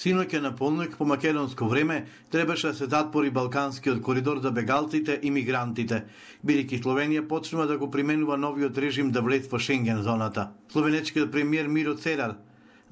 Синоќа на полнок по македонско време требаше да се затвори балканскиот коридор за бегалците и мигрантите, бидејќи Словенија почнува да го применува новиот режим да влез во Шенген зоната. Словенечкиот премиер Миро Церар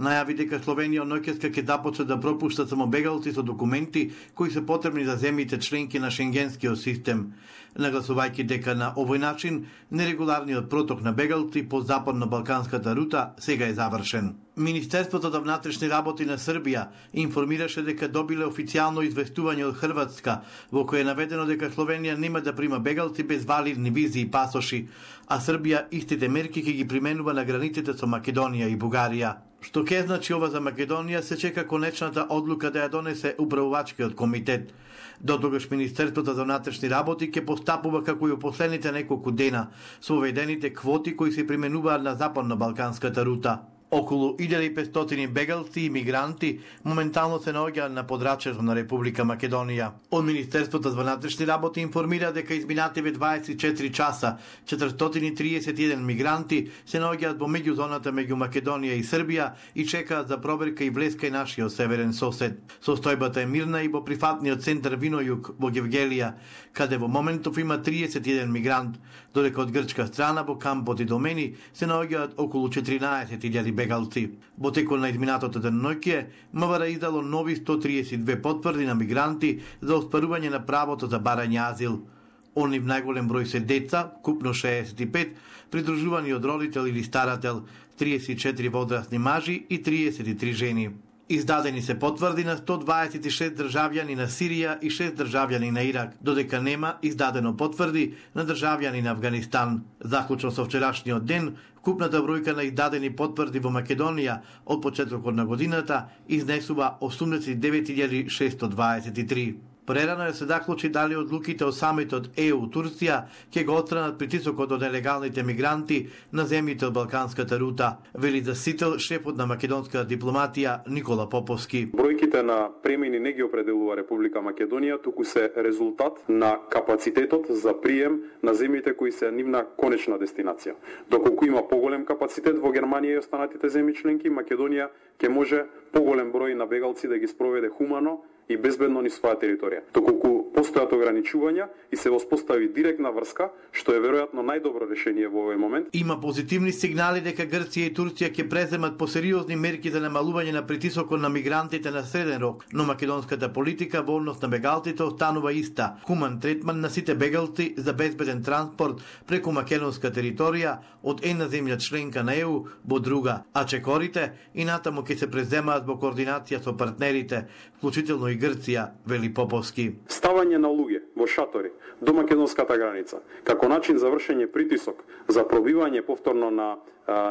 најави дека Словенија ноќеска ќе започне да пропушта само бегалци со документи кои се потребни за земјите членки на шенгенскиот систем, нагласувајќи дека на овој начин нерегуларниот проток на бегалци по западно-балканската рута сега е завршен. Министерството за внатрешни работи на Србија информираше дека добиле официјално известување од Хрватска, во кое е наведено дека Словенија нема да прима бегалци без валидни визи и пасоши, а Србија истите мерки ќе ги применува на границите со Македонија и Бугарија. Што ќе значи ова за Македонија, се чека конечната одлука да ја донесе управувачкиот комитет. Дотогаш Министерството за внатрешни работи ќе постапува како и во последните неколку дена со введените квоти кои се применуваат на западно-балканската рута. Околу 1500 бегалци и мигранти моментално се наоѓаат на подрачјето на Република Македонија. Од Министерството за внатрешни работи информира дека изминативе 24 часа 431 мигранти се наоѓаат во меѓузоната меѓу Македонија и Србија и чекаат за проверка и влеска и нашиот северен сосед. Состојбата е мирна и во прифатниот центар Винојук во Гевгелија, каде во моментов има 31 мигрант, додека од грчка страна во кампот и Домени се наоѓаат околу 14.000 бегалци. Во текот на изминатото деноноќе, МВР издало нови 132 потврди на мигранти за остварување на правото за барање азил. Они в најголем број се деца, купно 65, придружувани од родител или старател, 34 возрастни мажи и 33 жени. Издадени се потврди на 126 државјани на Сирија и 6 државјани на Ирак, додека нема издадено потврди на државјани на Авганистан. Заклучно со вчерашниот ден, вкупната бројка на издадени потврди во Македонија од почетокот на годината изнесува 89.623. Прерано се заклучи дали одлуките од самитот ЕУ Турција ќе го отстранат притисокот од нелегалните мигранти на земјите од балканската рута, вели засител шефот на македонската дипломатија Никола Поповски. Бројките на премини не ги определува Република Македонија, туку се резултат на капацитетот за прием на земјите кои се нивна конечна дестинација. Доколку има поголем капацитет во Германија и останатите земји членки, Македонија ќе може поголем број на бегалци да ги спроведе хумано и безбедно низ своја територија. Доколку постојат ограничувања и се воспостави директна врска, што е веројатно најдобро решение во овој момент. Има позитивни сигнали дека Грција и Турција ќе преземат посериозни мерки за намалување на притисокот на мигрантите на среден рок, но македонската политика во однос на бегалците останува иста. Хуман третман на сите бегалци за безбеден транспорт преку македонска територија од една земја членка на ЕУ во друга, а чекорите и натаму ќе се преземаат во координација со партнерите, вклучително и Грција, вели Поповски. Ставање на луѓе во шатори до македонската граница, како начин за вршење притисок за пробивање повторно на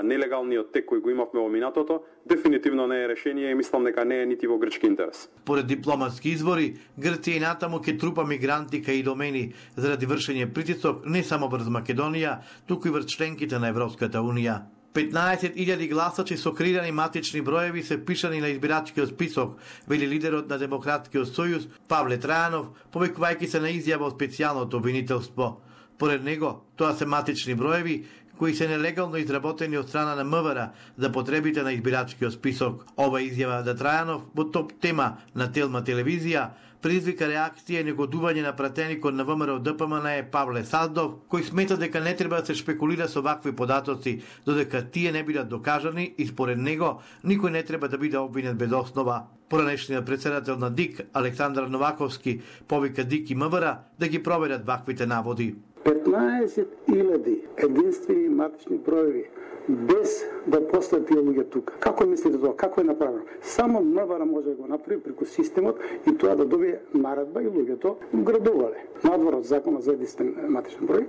нелегалниот тек кој го имавме во минатото, дефинитивно не е решение и мислам дека не е нити во грчки интерес. Поред дипломатски извори, Грција и натаму ќе трупа мигранти кај и Домени заради вршење притисок не само врз Македонија, туку и врз членките на Европската унија. 15.000 гласачи со креирани матични броеви се впишани на избирачкиот список, вели лидерот на Демократскиот сојуз Павле Трајанов, повикувајќи се на изјава од специјалното обвинителство. Поред него, тоа се матични броеви кои се нелегално изработени од страна на МВР за потребите на избирачкиот список. Ова изјава на Трајанов во топ тема на Телма телевизија предизвика реакција и негодување на пратеникот на ВМРО ДПМН Павле Саздов, кој смета дека не треба да се шпекулира со вакви податоци, додека тие не бидат докажани и според него никој не треба да биде обвинет без основа. Поранешниот председател на ДИК Александар Новаковски повика ДИК и МВР да ги проверат ваквите наводи. 15.000 единствени матични броеви без да постојат тие луѓе тука. Како мислите тоа? Како е направено? Само МВР може да го направи преку системот и тоа да добие наредба и луѓето градувале. Надвор од законот за единствен матичен број,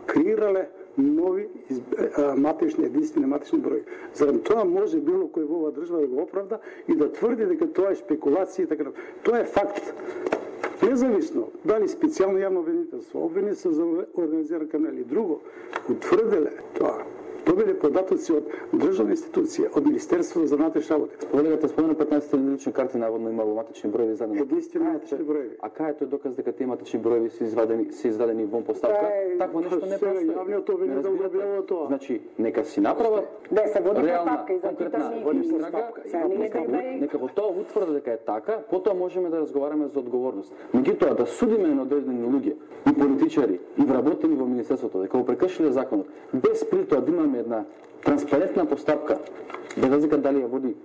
креирале нови матични, единствени матични број. Зарем тоа може било кој во оваа држава да го оправда и да тврди дека тоа е спекулација и така. Тоа е факт. Независно дали специјално јавно обвинителство, обвинителство за организиран криминал или друго, утврделе тоа. Добиле податоци од државна институција, од Министерството за внатрешни работи. Колегата спомена 15 лични карти, наводно имало матични броеви издадени. Единствено матични броеви. А кај е тој доказ дека тие матични броеви се издадени вон поставка? Такво нешто не постои. Јавниот обвинител да објавува тоа. Значи, нека си направат да се води реална, постапка и за конкретна нека во тоа утврди дека е така, потоа можеме да разговараме за одговорност. Меѓутоа да судиме на одредени луѓе и политичари и вработени во министерството дека го прекршиле законот, без при тоа да имаме една транспарентна постапка, без разлика дали ја води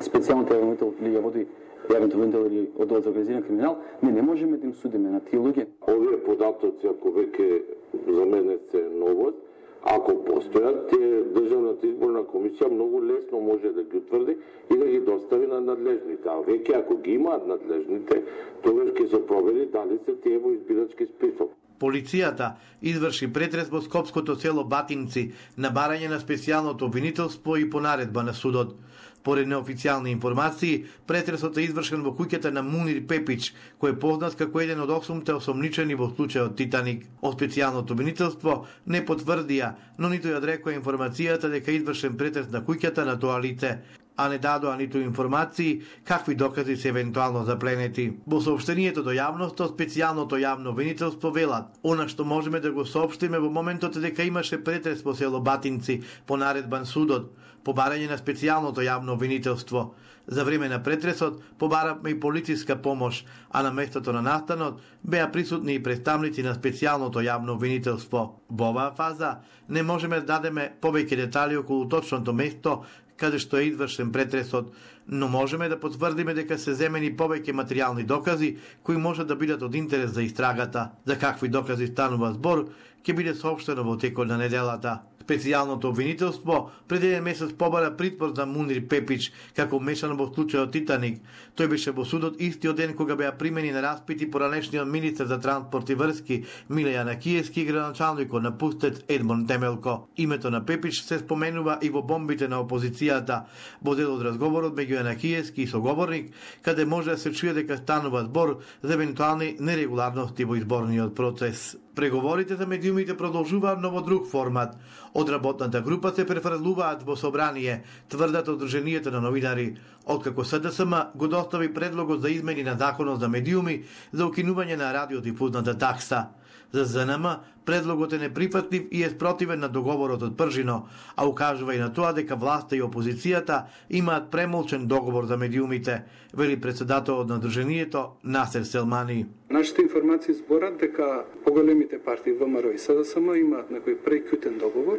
специјалниот обвинител или ја води јавниот обвинител или одделот за организиран криминал, не можеме да им судиме на тие луѓе. Овие податоци, ако веќе за мене се новост, ако постојат, Државната изборна комисија многу лесно може да ги утврди и да ги достави на надлежните. А веќе ако ги имаат надлежните, тогаш ќе се провери дали се тие во избирачки список. Полицијата изврши претрес во скопското село Батинци на барање на специјалното обвинителство и по наредба на судот. Поред неофицијални информации, претресот е извршен во куќата на Мунир Пепич, кој е познат како еден од 8 осомничени во случајот Титаник. Од специјалното обвинителство не потврдија, но ниту ја одрекоа информацијата дека извршен претрес на куќата на тоа лице, а не дадоа ниту информации какви докази се евентуално запленети. Во соопштението до јавноста, специјалното јавно обвинителство велат: она што можеме да го соопштиме во моментот е дека имаше претрес во село Батинци по наредбан судот, по барање на специјалното јавно обвинителство. За време на претресот побаравме и полициска помош, а на местото на настанот беа присутни и представници на специјалното јавно обвинителство. Во оваа фаза не можеме да дадеме повеќе детали околу точното место каде што е извршен претресот, но можеме да потврдиме дека се земени повеќе материјални докази кои може да бидат од интерес за истрагата. За какви докази станува збор, ќе биде соопштено во текот на неделата. Специјалното обвинителство пред еден месец побара притвор за Мунир Пепич како мешан во случајот Титаник. Тој беше во судот истиот ден кога беа примени на распити поранешниот министер за транспорт и врски Миле Јанакиевски и градоначалникот на Пустец Едмон Темелко. Името на Пепич се споменува и во бомбите на опозицијата, во дел од разговорот меѓу Јанакиевски и соговорник, каде може да се чуе дека станува збор за евентуални нерегуларности во изборниот процес. Преговорите за медиумите продолжуваат, но во друг формат. Од работната група се префрлуваат во собрание, тврдат Одруженијето на новинари, откако СДСМ го достави предлогот за измени на законот за медиуми за укинување на радиодифузната такса. За ЗНМ предлогот е неприфатлив и е спротивен на договорот од Пржино, а укажува и на тоа дека власта и опозицијата имаат премолчен договор за медиумите, вели председателот на Одруженијето Насер Селмани. Нашите информации зборат дека поголемите партии ВМРО и СДСМ имаат некој прејкутен договор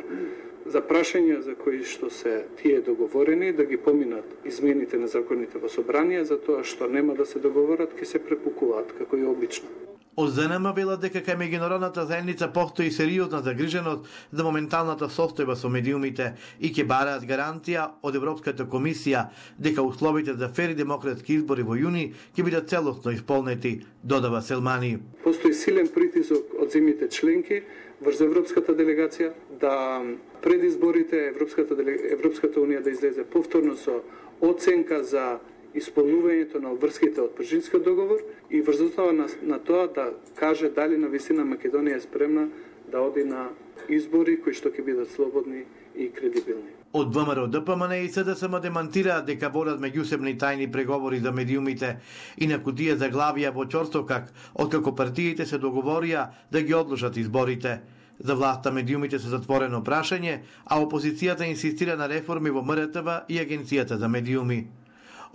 за прашања за кои што се тие договорени да ги поминат измените на законите во собрание, за тоа што нема да се договорат, ќе се препукуваат како и обично. Од ЗНМ велат дека кај меѓународната заедница постои сериозна загриженост за моменталната состојба со медиумите и ќе бараат гаранција од Европската комисија дека условите за фер и демократски избори во јуни ќе бидат целосно исполнети, додава Селмани. Постои силен притисок од земјите членки врз Европската делегација да пред изборите Европската унија да излезе повторно со оценка за исполнувањето на обврските од Пржинскиот договор и врз основа на тоа да каже дали навистина Македонија е спремна да оди на избори кои што ќе бидат слободни и кредибилни. Од ВМРО, ДПМН и СДСМ демантираат дека водат меѓусебни тајни преговори за медиумите и на кутија заглавија во Ќорсокак, откако партиите се договорија да ги одложат изборите. За власта медиумите се затворено прашање, а опозицијата инсистира на реформи во МРТВ и Агенцијата за медиуми.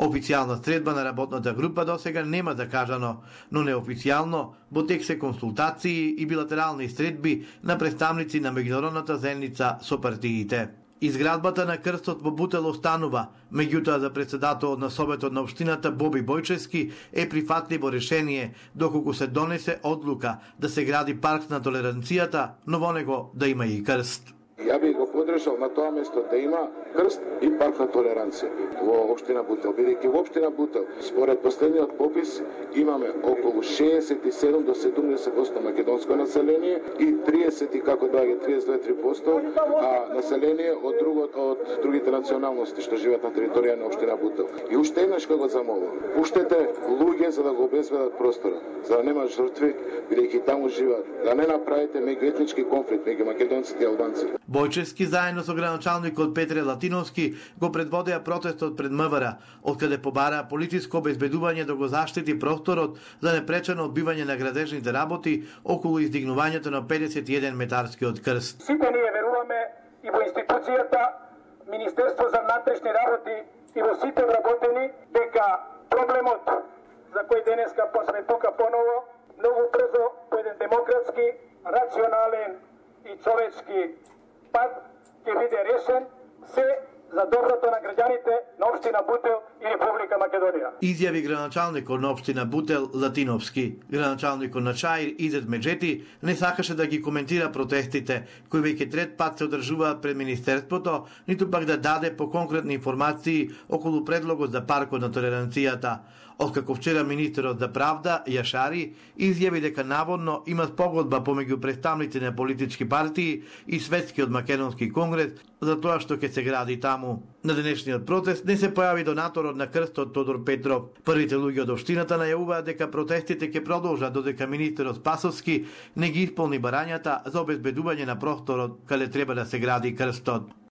Официјална средба на работната група досега нема закажано, но неофицијално во тек се консултации и билатерални средби на представници на меѓународната заедница со партиите. Изградбата на крстот во Бутел останува, меѓутоа за председателот на Советот на општината Боби Бојчевски е прифатливо решение доколку се донесе одлука да се гради парк на толеранцијата, но во него да има и крст. Ја би го подржал на тоа место да има крст и парк на толеранција во општина Бутел, бидејќи во општина Бутел според последниот попис имаме околу 67 до 70% македонско население и 30 и како доаѓа 32-3% население од другите националности што живеат на територија на општина Бутел. И уште еднаш кога го замолувам, пуштете луѓе за да го обезбедат простора, за да нема жртви, бидејќи таму живеат, да не направите меѓуетнички конфликт меѓу македонците и албанците. Бојчевски заедно со градоначалникот Петре Латиновски го предводеа протестот пред МВР, откаде побара политичко обезбедување да го заштити просторот за непречено одбивање на градежните работи околу издигнувањето на 51 метарскиот крст. Сите ние веруваме и во институцијата, Министерство за внатрешни работи и во сите вработени дека проблемот за кој денеска посме тука поново, многу брзо по еден демократски, рационален и човечки пат ќе биде решен, се за доброто на граѓаните на општина Бутел и Република Македонија. Изјави градоначалникот на општина Бутел Латиновски. Градоначалникот на Чаир Изет Меджети не сакаше да ги коментира протестите, кои веќе трет пат се одржуваат пред Министерството, ниту пак да даде по конкретни информации околу предлогот за паркот на толеранцијата. Откако вчера министерот за правда, Јашари, изјави дека наводно има спогодба помеѓу представници на политички партии и Светскиот македонски конгрес за тоа што ќе се гради таму. На денешниот протест не се појави донаторот на крстот Тодор Петров. Првите луѓе од општината најавуваат дека протестите ќе продолжат додека министерот Спасовски не ги исполни барањата за обезбедување на просторот каде треба да се гради крстот.